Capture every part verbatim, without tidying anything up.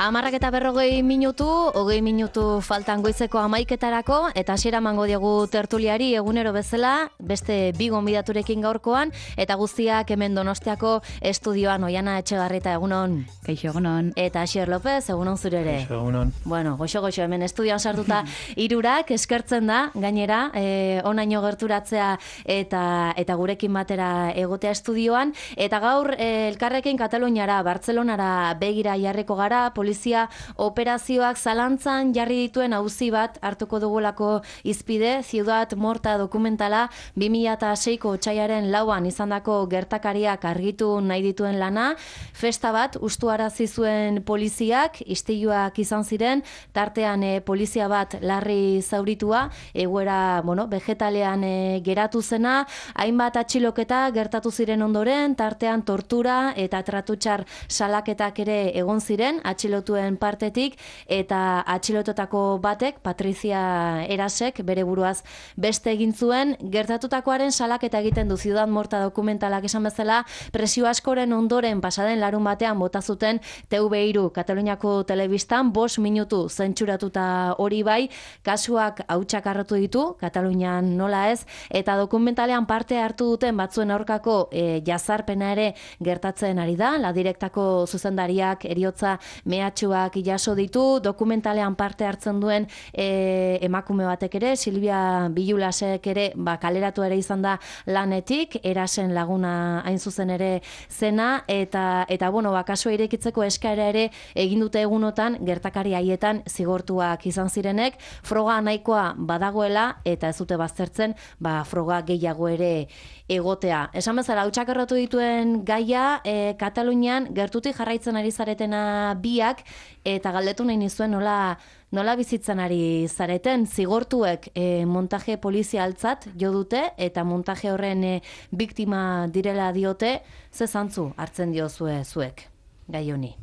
Amarrak eta berrogei minutu, hogei minutu faltan goizeko hamaiketarako, eta hasiera emango diogu tertuliari egunero bezala, beste bi gonbidaturekin gaurkoan, eta guztiak hemen Donostiako estudioan. Oiana Etxebarrieta, egunon. Kaixo, egunon. Eta Asier López, egunon zure ere. Kaixo, egunon. Bueno, goxo-goxo hemen estudioan sartuta hirurak eskertzen da, gainera, eh, onaino gerturatzea eta eta gurekin batera egotea estudioan, eta gaur eh, elkarrekin Kataluniara, Bartzelonara begira jarriko gara, polizia operazioak zalantzan jarri dituen auzi bat hartuko dugulako izpide, Ciudad Morta dokumentala bi mila seiko otsailaren lauan izandako gertakariak argitu nahi dituen lana, festa bat ustuarazi zuen poliziak, istiluak izan ziren, tartean e, polizia bat larri zauritua, egoera, bueno, vegetalean e, geratu zena, hainbat atxiloketa gertatu ziren ondoren, tartean tortura eta tratutxar salaketak ere egon ziren, atxilotuen partetik, eta atxilototako batek, Patrizia Erasek, bere buruaz beste egin zuen, gertatutakoaren salaketa egiten du Ciudad Morta dokumentalak esan bezala, presio askoren ondoren pasaden larun batean bota zuten T V hiru Kataluniako telebistan, bost minutu zentsuratuta hori bai, kasuak hautsak harrotu ditu, Katalunian nola ez, eta dokumentalean parte hartu duten batzuen aurkako e, jazarpena ere gertatzen ari da, la direktako zuzendariak eriotza mehatxuak jaso ditu, dokumentalean parte hartzen duen e, emakume batek ere, Silvia Bilulasek ere, ba, kaleratu ere izan da lanetik, Erasen laguna hain zuzen ere zena, eta, eta bueno, ba, kasua irekitzeko eskaera ere egin dute egunotan, gertakari haietan zigortuak izan zirenek, froga nahikoa badagoela, eta ez dute baztertzen, ba, froga gehiago ere egotea. Esan bezala, hautsak errotu dituen gaia, e, Katalunian gertutik jarraitzen ari zaretena biak, eta galdetu nahi nizuen nola, nola bizitzen ari zareten, zigortuek e, montaje polizialtzat jo dute, eta montaje horren e, biktima direla diote, ze zantzu hartzen diozue zuek, gai honi?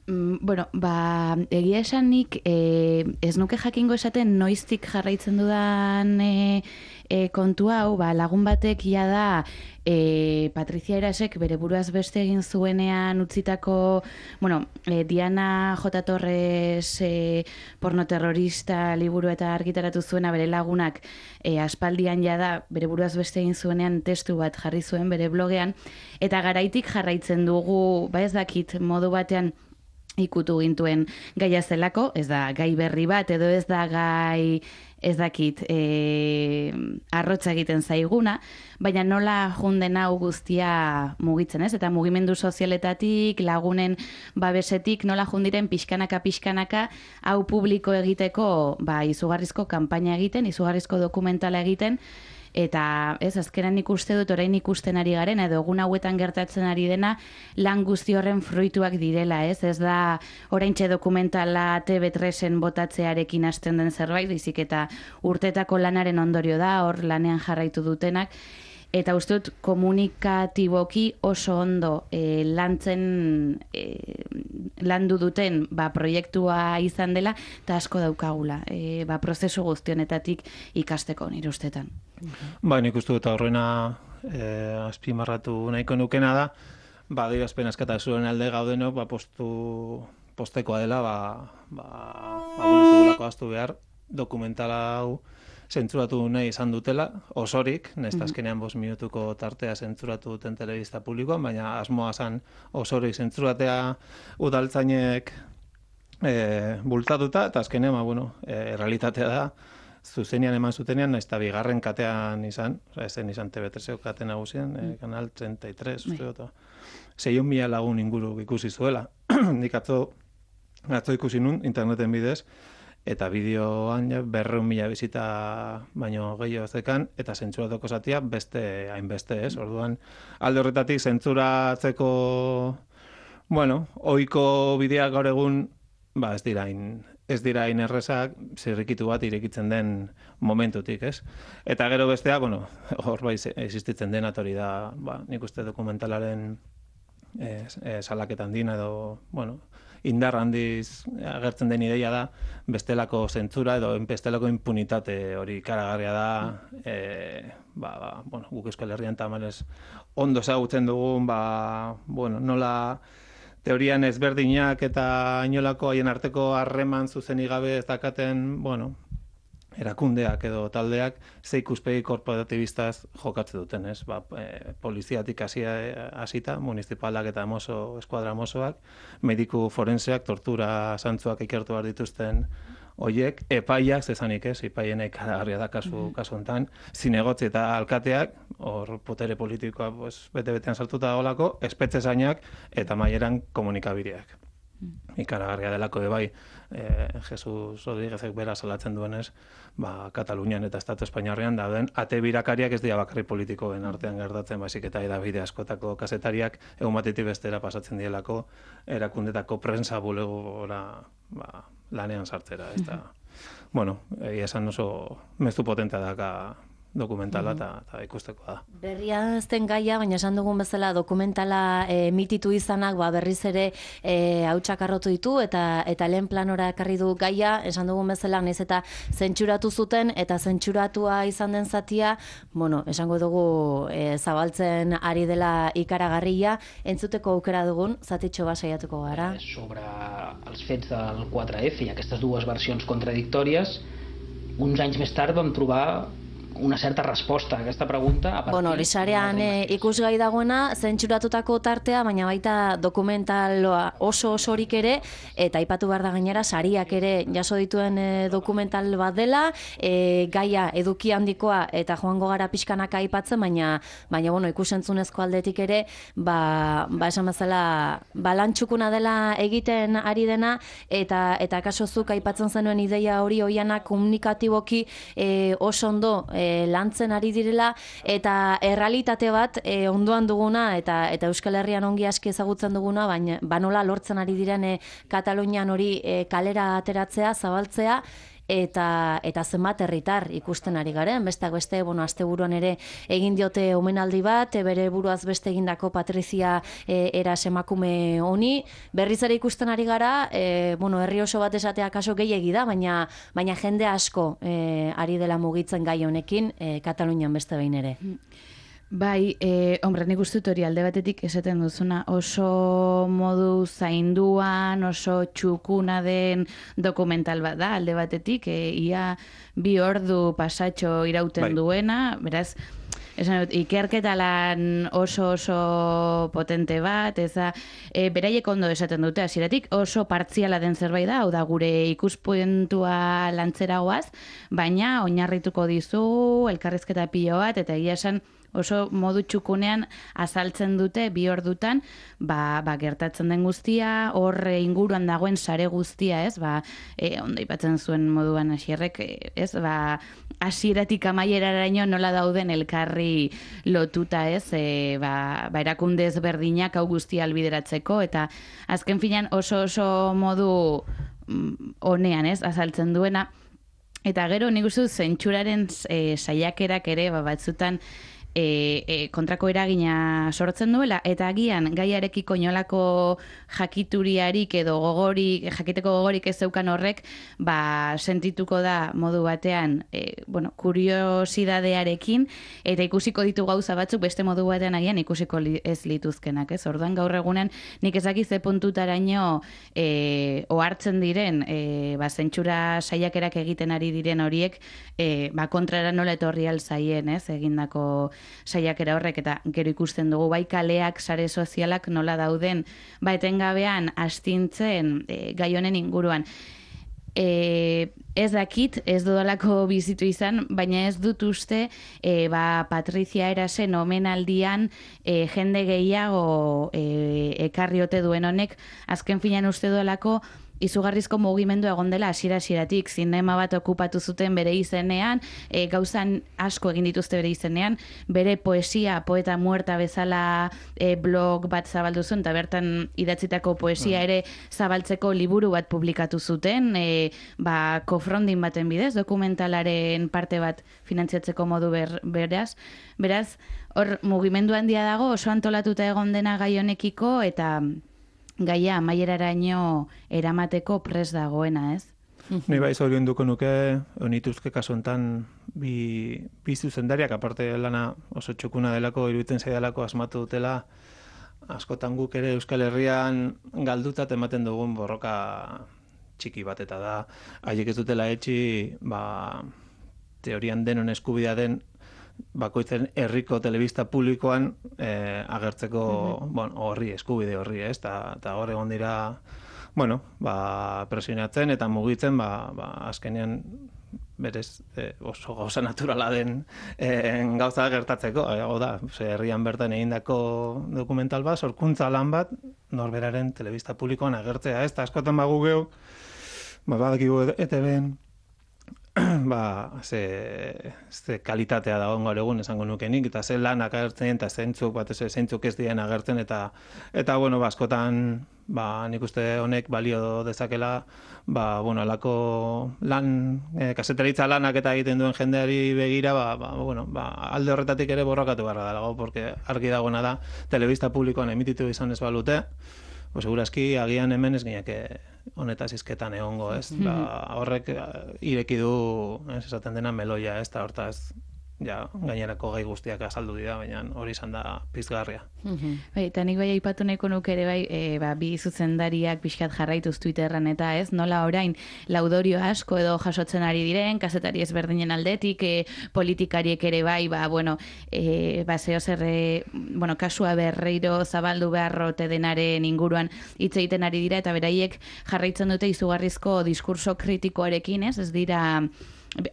Mm, bueno, ba, egia esanik, e, ez nuke jakingo esaten noiztik jarraitzen dudan e, e, kontu hau, ba, lagun batek ia da e, Patrizia Erasek bere buruaz beste egin zuenean utzitako, bueno, e, Diana J. Torres e, pornoterrorista liburu eta argitaratu zuena bere lagunak e, aspaldian ja da bere buruaz beste egin zuenean testu bat jarri zuen bere blogean, eta garaitik jarraitzen dugu, ba ez dakit, modu batean ikutu gintuen gaia zelako, ez da gai berri bat, edo ez da gai, ez dakit, e, arrotza egiten zaiguna, baina nola junden hau guztia mugitzen, ez? Eta mugimendu sozialetatik, lagunen babesetik, nola jundiren pixkanaka-pixkanaka hau publiko egiteko, ba, izugarrizko kanpaina egiten, izugarrizko dokumentala egiten, eta ez, azkenan ikuste dut orain ikusten ari garen, edo egun hauetan gertatzen ari dena, lan guzti horren fruituak direla, ez? Ez da oraintxe dokumentala T V tresen botatzearekin hasten den zerbait, dizik eta urtetako lanaren ondorio da, hor lanean jarraitu dutenak, eta uste dut komunikatiboki oso ondo e, lantzen e, landu duten ba, proiektua izan dela, eta asko daukagula, e, ba, prozesu guztionetatik ikasteko nire ustetan. Ba, nik uste dut horrena e, azpimarratu nahiko nukena da, ba, adierazpen askatasunaren alde gaudenok, ba, postu, postekoa dela, ba, ba, ba, bultugulako aztu behar, dokumentala hau zentzuratu nahi izan dutela, osorik, nesta azkenean bost minutuko tartea zentzuratu duten telebista publikoan, baina asmoa zan osorik zentzuratea udaltzainek e, bultatuta, eta azkenean, ba, bueno, e, realitatea da, zuzenean eman zutenean, nahiz eta bigarren katean izan, ezen izan T V treseko kate nagusien, e, kanal treinta y tres, uste dut, seiehun mila lagun inguru ikusi zuela. Nik atzo, atzo ikusi nun, interneten bidez, eta bideoan ja, berreun mila bizita baino gehiago zekan, eta zentzuratoko zatia beste hainbeste, ez? Orduan, alde horretatik zentzuratzeko, bueno, ohiko bideak gaur egun, ba, ez dira hain, ez dira hain errezak, zirrikitu bat irekitzen den momentutik, ez? Eta gero bestea, bueno, hor bai existitzen den hori da, ba, nik uste dokumentalaren eh, eh, salaketan dina edo, bueno, indar handiz agertzen den ideia da, bestelako zentzura edo bestelako impunitate hori ikaragarria da, e, ba, ba, bueno, guk Euskal Herrian tamalez ondo ezagutzen dugun, ba, bueno, nola teorian ezberdinak eta inolako haien arteko harreman zuzenik gabe ez dakaten, bueno, erakundeak edo taldeak ze ikuspegi korporatibistaz jokatzen duten, ez? Ba, e, poliziatik hasia hasita, municipalak eta mozo, eskuadra mozoak, mediku forenseak, tortura zantzuak ikertu behar dituzten hoiek, epaiak, zezanik ez, epaien ikaragarria da kasu, kasu enten, zinegotzi eta alkateak, hor potere politikoa pues, bete-betean sartuta dagoelako, espetxe zainak eta maieran komunikabideak. Ikaragarria delako bai, eh, Jesus Rodríguezek bera salatzen duenez, ba, Katalunian eta Estatu Espainiarrean dauden ate birakariak ez dira bakarri politikoen artean gertatzen, baizik eta edabide askotako kazetariak egun batetik bestera pasatzen dielako erakundetako prensa bulegora ba, lanean sartzera. Ez da, bueno, egia esan oso mezu potentea daka dokumentala eta mm. ikusteko da. Berria ezten gaia, baina esan dugun bezala dokumentala e, mititu izanak ba, berriz ere e, hautsak arrotu ditu eta eta lehen planora ekarri du gaia, esan dugun bezala naiz eta zentsuratu zuten eta zentsuratua izan den zatia, bueno, esango dugu e, zabaltzen ari dela ikaragarria, entzuteko aukera dugun, zatitxo bat saiatuko gara. Sobre els fets del quatre F i aquestes dues versions contradictòries, uns anys més tard vam trobar una certa resposta a aquesta pregunta. A bueno, horisarean e, ikusgai dagoena, zentsuratutako tartea, baina baita dokumentaloa oso osorik ere, eta aipatu behar da gainera, sariak ere jaso dituen e, dokumental bat dela, e, gaia eduki handikoa eta joango gara pixkanaka aipatzen, baina, baina bueno, ikusentzunezko aldetik ere, ba, ba esan bezala, balantxukuna dela egiten ari dena, eta eta kasozuk aipatzen zenuen ideia hori oianak komunikatiboki e, oso ondo e, lantzen ari direla eta errealitate bat e, ondoan duguna eta eta Euskal Herrian ongi aski ezagutzen duguna, baina banola lortzen ari diren e, Katalunian hori e, kalera ateratzea, zabaltzea eta eta zenbat herritar ikusten ari garen, besteak beste, bueno, asteburuan ere egin diote omenaldi bat, e, bere buruaz beste egindako Patrizia e, eras emakume honi, berriz ere ikusten ari gara, e, bueno, herri oso bat esatea kaso gehiegi da, baina baina jende asko e, ari dela mugitzen gai honekin, e, Katalunian beste behin ere. Bai, eh, hombre, nik uste dut hori alde batetik esaten duzuna oso modu zainduan, oso txukuna den dokumental bat da, alde batetik, eh, ia bi ordu pasatxo irauten bai. Duena, beraz, esan dut, ikerketa lan oso oso potente bat, eza, e, beraiek ondo esaten dute, hasieratik oso partziala den zerbait da, hau da gure ikuspuntua lantzeragoaz, baina oinarrituko dizu elkarrizketa pilo bat, eta egia esan, oso modu txukunean azaltzen dute bi ordutan, ba, ba gertatzen den guztia, hor inguruan dagoen sare guztia, ez? Ba, e, ondo aipatzen zuen moduan hasierrek, ez? Ba, hasieratik amaieraraino nola dauden elkarri lotuta, ez? E, ba, ba erakunde ezberdinak hau guztia albideratzeko eta azken finean oso oso modu honean, ez? Azaltzen duena. Eta gero nik uste dut zentsuraren e, saiakerak ere ba, batzutan E, e, kontrako eragina sortzen duela, eta agian gaiarekiko inolako jakituriarik edo gogorik, jakiteko gogorik ez zeukan horrek, ba, sentituko da modu batean, e, bueno, kuriosidadearekin, eta ikusiko ditu gauza batzuk beste modu batean agian ikusiko li, ez lituzkenak, ez? Orduan gaur egunen nik ezaki ze puntutaraino e, ohartzen diren, e, ba, zentsura saiakerak egiten ari diren horiek, e, ba, kontrara nola etorri alzaien, ez? Egindako saiakera horrek, eta gero ikusten dugu bai kaleak, sare sozialak nola dauden, ba etengabean astintzen e, gai honen inguruan. E, ez dakit, ez dudalako bizitu izan, baina ez dut uste e, ba, Patrizia erasen omenaldian e, jende gehiago e, ekarri ote duen honek, azken finean uste dudalako izugarrizko mugimendu egon dela hasiera-hasieratik, zinema bat okupatu zuten bere izenean, e, gauzan asko egin dituzte bere izenean, bere poesia, poeta muerta bezala e, blog bat zabaldu zuen, eta bertan idatzitako poesia ere zabaltzeko liburu bat publikatu zuten, e, ba, kofrondin baten bidez, dokumentalaren parte bat finantziatzeko modu ber, beraz, beraz, hor mugimendu handia dago, oso antolatuta egon dena gai honekiko, eta gaia amaieraraino eramateko pres dagoena, ez? Ni bai zorion duko nuke, onituzke kasu enten bi, bi zuzendariak, aparte lana oso txukuna delako, iruditzen zaidalako asmatu dutela, askotan guk ere Euskal Herrian galdutat ematen dugun borroka txiki bat, eta da, haiek ez dutela etxi, ba, teorian denon eskubidea den bakoitzen herriko telebista publikoan eh, agertzeko mm-hmm. bueno, horri, eskubide horri, ez? Eta hor egon dira, bueno, ba, presionatzen eta mugitzen, ba, ba, azkenean berez eh, oso gauza naturala den eh, gauza gertatzeko. Hau da, herrian bertan egindako dokumental bat, sorkuntza lan bat, norberaren telebista publikoan agertzea, ez? Eta askotan bagu geu, ba, badakigu E T B-en, ba, ze, ze kalitatea dagoen gaur egun esango nukenik, eta ze lanak agertzen, eta zeintzuk, bat ez zeintzuk ez dien agertzen, eta, eta bueno, ba, askotan, ba, nik uste honek balio dezakela, ba, bueno, alako lan, e, kasetaritza lanak eta egiten duen jendeari begira, ba, ba, bueno, ba, alde horretatik ere borrokatu beharra dago, porque argi dagoena da, telebista publikoan emititu izan ez balute, pues segurazki agian hemen ez gineke honetaz izketan egongo, ez? Ba, horrek ireki du, ez esaten dena meloia, ez? Ta hortaz, ja, gainerako gai guztiak azaldu dira, baina hori izan da pizgarria. Bai, eta nik bai aipatu nahiko nuke ere bai, e, ba, bi zuzendariak pixkat jarraituz Twitterran eta ez, nola orain laudorio asko edo jasotzen ari diren, kazetari ezberdinen aldetik, e, politikariek ere bai, ba, bueno, e, ba, zeo zer, e, bueno, kasua berreiro zabaldu beharrote denaren inguruan hitz egiten ari dira, eta beraiek jarraitzen dute izugarrizko diskurso kritikoarekin, ez, ez dira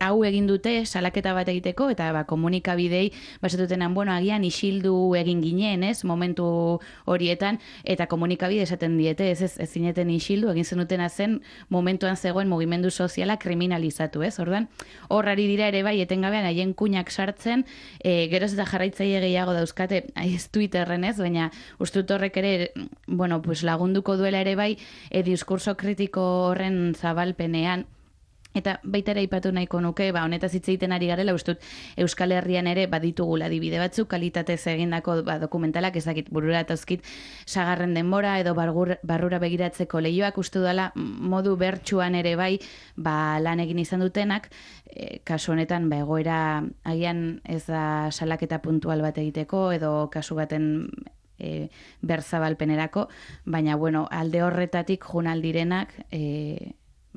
hau egin dute salaketa bat egiteko, eta ba, komunikabidei basatutenan, bueno, agian isildu egin ginen, ez, momentu horietan, eta komunikabide esaten diete, ez, ez, ez zineten isildu, egin zenutena zen momentuan zegoen mugimendu soziala kriminalizatu, ez, orduan, horrari dira ere bai, etengabean haien kuinak sartzen, e, geroz eta jarraitzaile gehiago dauzkate, ez Twitterren ez, baina ustut horrek ere, bueno, pues lagunduko duela ere bai, e, diskurso kritiko horren zabalpenean. Eta baita ere aipatu nahiko nuke, ba, honetaz hitz egiten ari garela, ustut Euskal Herrian ere baditugula adibide batzuk, kalitatez egindako ba, dokumentalak, ezakit burura eta sagarren denbora edo bargur, barrura begiratzeko lehioak, uste dela modu bertsuan ere bai ba, lan egin izan dutenak, e, kasu honetan ba, egoera agian ez da salaketa puntual bat egiteko, edo kasu baten e, berzabalpenerako, baina bueno, alde horretatik junaldirenak e,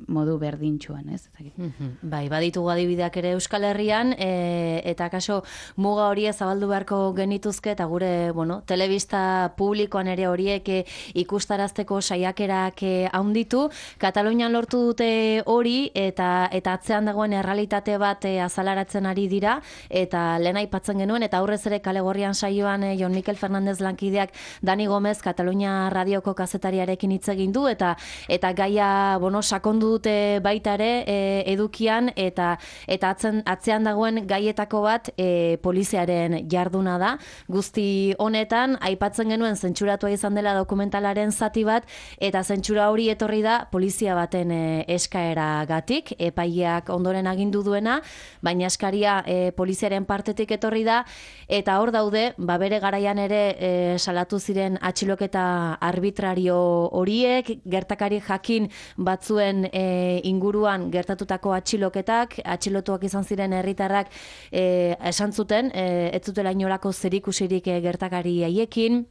modu berdintxuan, ez? Mm-hmm. Bai, baditugu adibideak ere Euskal Herrian, e, eta kaso muga horiek zabaldu beharko genituzke, eta gure, bueno, telebista publikoan ere horiek e, ikustarazteko saiakerak e, haunditu. Katalunian lortu dute hori, eta eta atzean dagoen errealitate bat e, azalaratzen ari dira, eta lehen aipatzen genuen, eta aurrez ere Kale Gorrian saioan e, Jon Mikel Fernandez lankideak Dani Gomez Katalunia radioko kazetariarekin hitz egin du, eta eta gaia, bueno, sakondu dute baita ere e, edukian, eta eta atzen, atzean dagoen gaietako bat e, poliziaren jarduna da. Guzti honetan aipatzen genuen zentsuratua izan dela dokumentalaren zati bat, eta zentsura hori etorri da polizia baten e, eskaeragatik, epaileak ondoren agindu duena, baina eskaria e, poliziaren partetik etorri da, eta hor daude, ba bere garaian ere e, salatu ziren atxiloketa arbitrario horiek, gertakari jakin batzuen e, inguruan gertatutako atxiloketak, atxilotuak izan ziren herritarrak e, esan zuten, e, ez zutela inolako zerikusirik e, gertakari haiekin.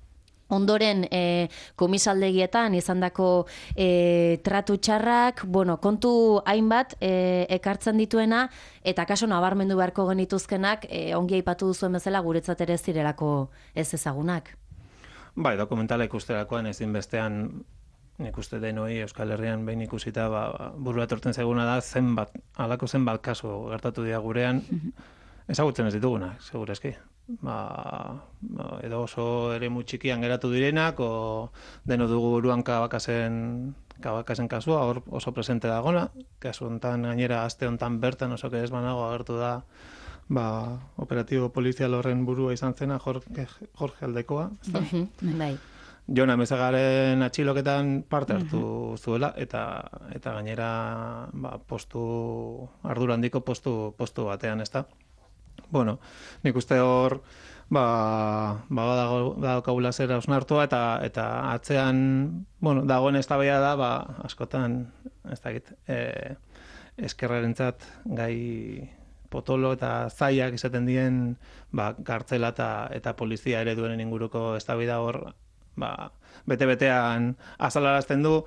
Ondoren e, komisaldegietan izandako e, tratu txarrak, bueno, kontu hainbat e, ekartzen dituena, eta kaso nabarmendu beharko genituzkenak, e, ongi aipatu duzuen bezala guretzat ere zirelako ez ezagunak. Bai, dokumentala ikusterakoan ezin bestean, nik uste denoi Euskal Herrian behin ikusita, ba, burua etortzen zaiguna da, zenbat, halako zenbat kasu gertatu dira gurean, ezagutzen ez ditugunak, segurazki. Ba, edo oso ere txikian geratu direnak, o deno dugu buruan kabakasen, kabakasen kasua, hor oso presente dagona, kasu hontan gainera aste hontan bertan oso ez banago agertu da, ba, operatibo polizial horren burua izan zena, Jorge, Jorge Aldekoa. Bai. Jon Amezagaren atxiloketan parte hartu zuela, eta eta gainera ba, postu, ardura handiko postu, postu batean, ezta. Bueno, nik uste hor, ba, ba daukagula zera osnartua, eta eta atzean, bueno, dagoen eztabaida da, ba, askotan, ez dakit, e, eskerrarentzat gai potolo eta zaiak izaten dien, ba, kartzela eta, eta polizia ere duenen inguruko eztabaida hor, ba, bete-betean azalarazten du.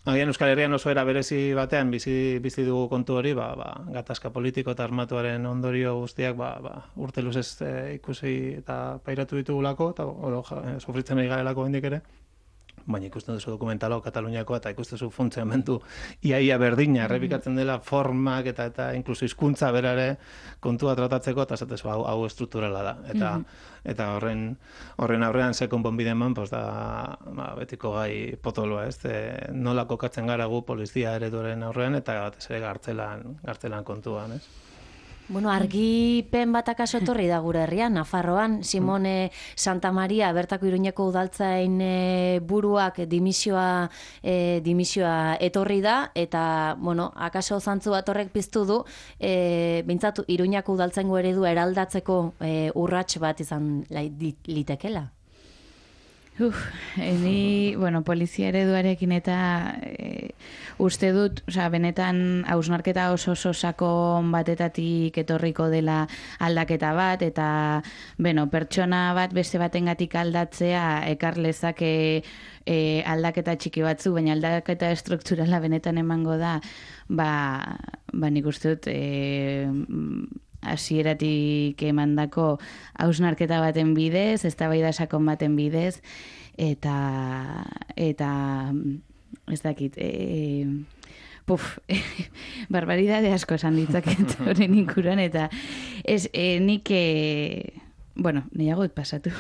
Agian Euskal Herrian oso era berezi batean bizi, bizi dugu kontu hori, ba, ba, gatazka politiko eta armatuaren ondorio guztiak ba, ba, urte luzez e, ikusi eta pairatu ditugulako, eta oro, ja, sufritzen ari garelako hendik ere. Baina ikusten duzu dokumentalo Kataluniakoa eta ikusten duzu funtzionamendu iaia berdina errepikatzen dela formak eta eta inkluso hizkuntza berare kontua tratatzeko eta esatezu hau, hau estrukturala da. Eta eta horren horren aurrean ze konponbide eman, pues da ba, betiko gai potoloa, ez? E, nola kokatzen gara gu polizia ereduaren aurrean eta batez ere gartzelan gartzelan kontuan, ez? Bueno, argipen bat akaso etorri da gure herrian, Nafarroan, Simone Santa Maria, bertako Iruñeko udaltzain e, buruak dimisioa, e, dimisioa etorri da, eta, bueno, akaso zantzu bat horrek piztu du, e, bintzatu Iruñeko udaltzaingo eredu eraldatzeko e, urrats bat izan litekela. Uf, ni, bueno, polizia ereduarekin eta e, uste dut, osea, benetan hausnarketa oso oso sakon batetatik etorriko dela aldaketa bat, eta, bueno, pertsona bat beste batengatik aldatzea ekar lezake e, aldaketa txiki batzu, baina aldaketa estrukturala benetan emango da, ba, ba nik uste dut, e, hasieratik emandako hausnarketa baten bidez, eztabaida sakon baten bidez, eta eta ez dakit, e, puf, barbaridade asko esan ditzaket horren inkuran, eta ez, e, nik e, bueno, nahiago dut pasatu.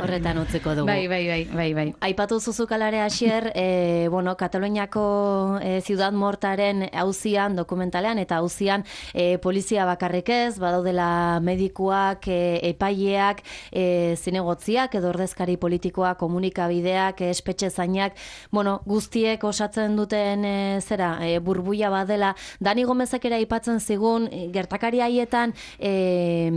Horretan utzeko dugu. Bai, bai, bai, bai, bai. Aipatu zuzukalare hasier, e, bueno, Kataluniako e, Ciudad Mortaren auzian, dokumentalean, eta auzian e, polizia bakarrik ez, badaudela medikuak, e, epaileak, e, zinegotziak, edo ordezkari politikoak, komunikabideak, e, espetxe zainak, bueno, guztiek osatzen duten e, zera, e, burbuia badela. Dani Gomezek ere aipatzen zigun, e, gertakari haietan e,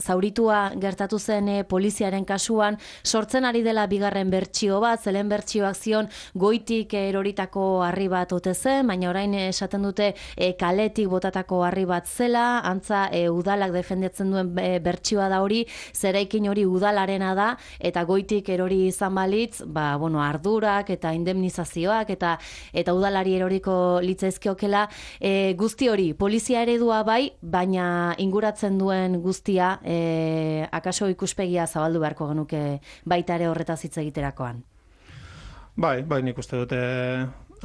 zauritua gertatu zen e, poliziaren kasuan, sortzen ari dela bigarren bertsio bat, zelen bertsioak zion goitik eroritako harri bat ote zen, baina orain esaten dute e, kaletik botatako harri bat zela, antza e, udalak defendetzen duen e, bertsioa da hori, zeraikin hori udalarena da, eta goitik erori izan balitz, ba, bueno, ardurak eta indemnizazioak eta eta udalari eroriko litzaizkiokela, e, guzti hori, polizia eredua bai, baina inguratzen duen guztia, e, akaso ikuspegia zabaldu beharko genuke baita ere horretaz hitz egiterakoan. Bai, bai, nik uste dute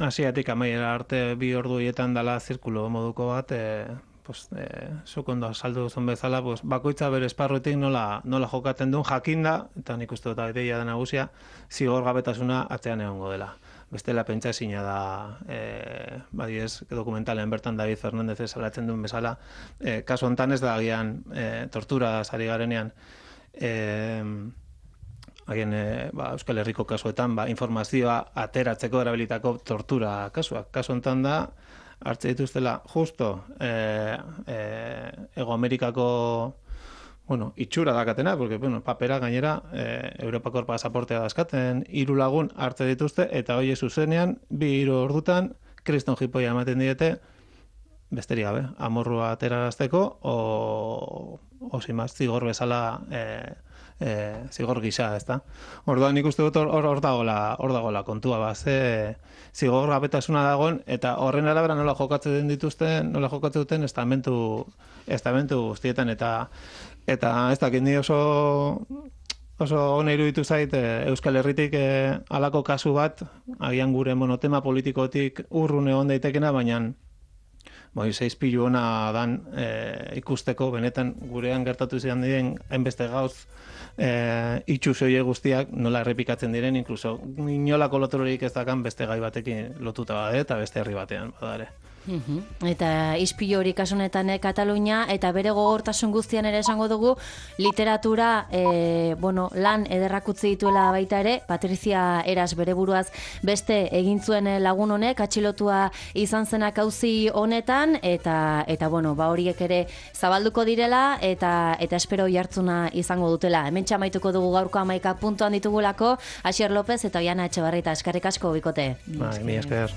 hasiatik amaiera arte bi ordu hietan dela zirkulo moduko bat, e, pues, e, zuk ondo azaldu duzun bezala, pues, bakoitza bere esparruetik nola, nola jokatzen duen jakinda, eta nik uste dut ideia da nagusia, zigor gabetasuna atzean egongo dela. Bestela pentsa ezina da, e, badiez, dokumentalean bertan David Fernández salatzen duen bezala, e, kasu hontan ez da agian e, tortura sari garenean, e, agian e, ba, Euskal Herriko kasuetan ba, informazioa ateratzeko erabilitako tortura kasuak. Kasu hontan da, hartze dituztela justo e, e, Ego Amerikako bueno, itxura dakatena, porque, bueno, papera gainera, e, Europako pasaportea dazkaten, hiru lagun hartze dituzte, eta hoi zuzenean, bi hiru ordutan, kriston jipoia ematen diete, besteri gabe, amorrua aterarazteko, o, o simaz, zigor bezala, e, e, zigor gisa, ez da? Orduan nik uste dut hor, hor dagoela, hor dagoela kontua, ba, ze zigor gabetasuna dagoen, eta horren arabera nola jokatzen dituzten, nola jokatzen duten estamentu, estamentu guztietan, eta Eta ez dakit ni oso oso ona iruditu zait e, Euskal Herritik e, halako kasu bat, agian gure monotema politikotik urrun egon daitekena, baina bai, seizpilu ona dan e, ikusteko, benetan gurean gertatu zidan diren hainbeste gauz e, itxu zoie guztiak nola errepikatzen diren, inkluso inolako loturorik ez dakan beste gai batekin lotuta bade, eta beste herri batean badare. Uhum. Eta ispilu hori kasunetan eh, Katalunia, eta bere gogortasun guztian ere esango dugu, literatura e, bueno, lan ederrak utzi dituela baita ere, Patricia Eras bere buruaz beste egin zuen lagun honek, atxilotua izan zenak auzi honetan, eta eta bueno, ba horiek ere zabalduko direla, eta eta espero jartzuna izango dutela. Hemen txamaituko dugu gaurko hamaika puntuan ditugulako, Asier López eta Oiana Etxebarrieta, eskerrik asko bikote. Bai, mi esker.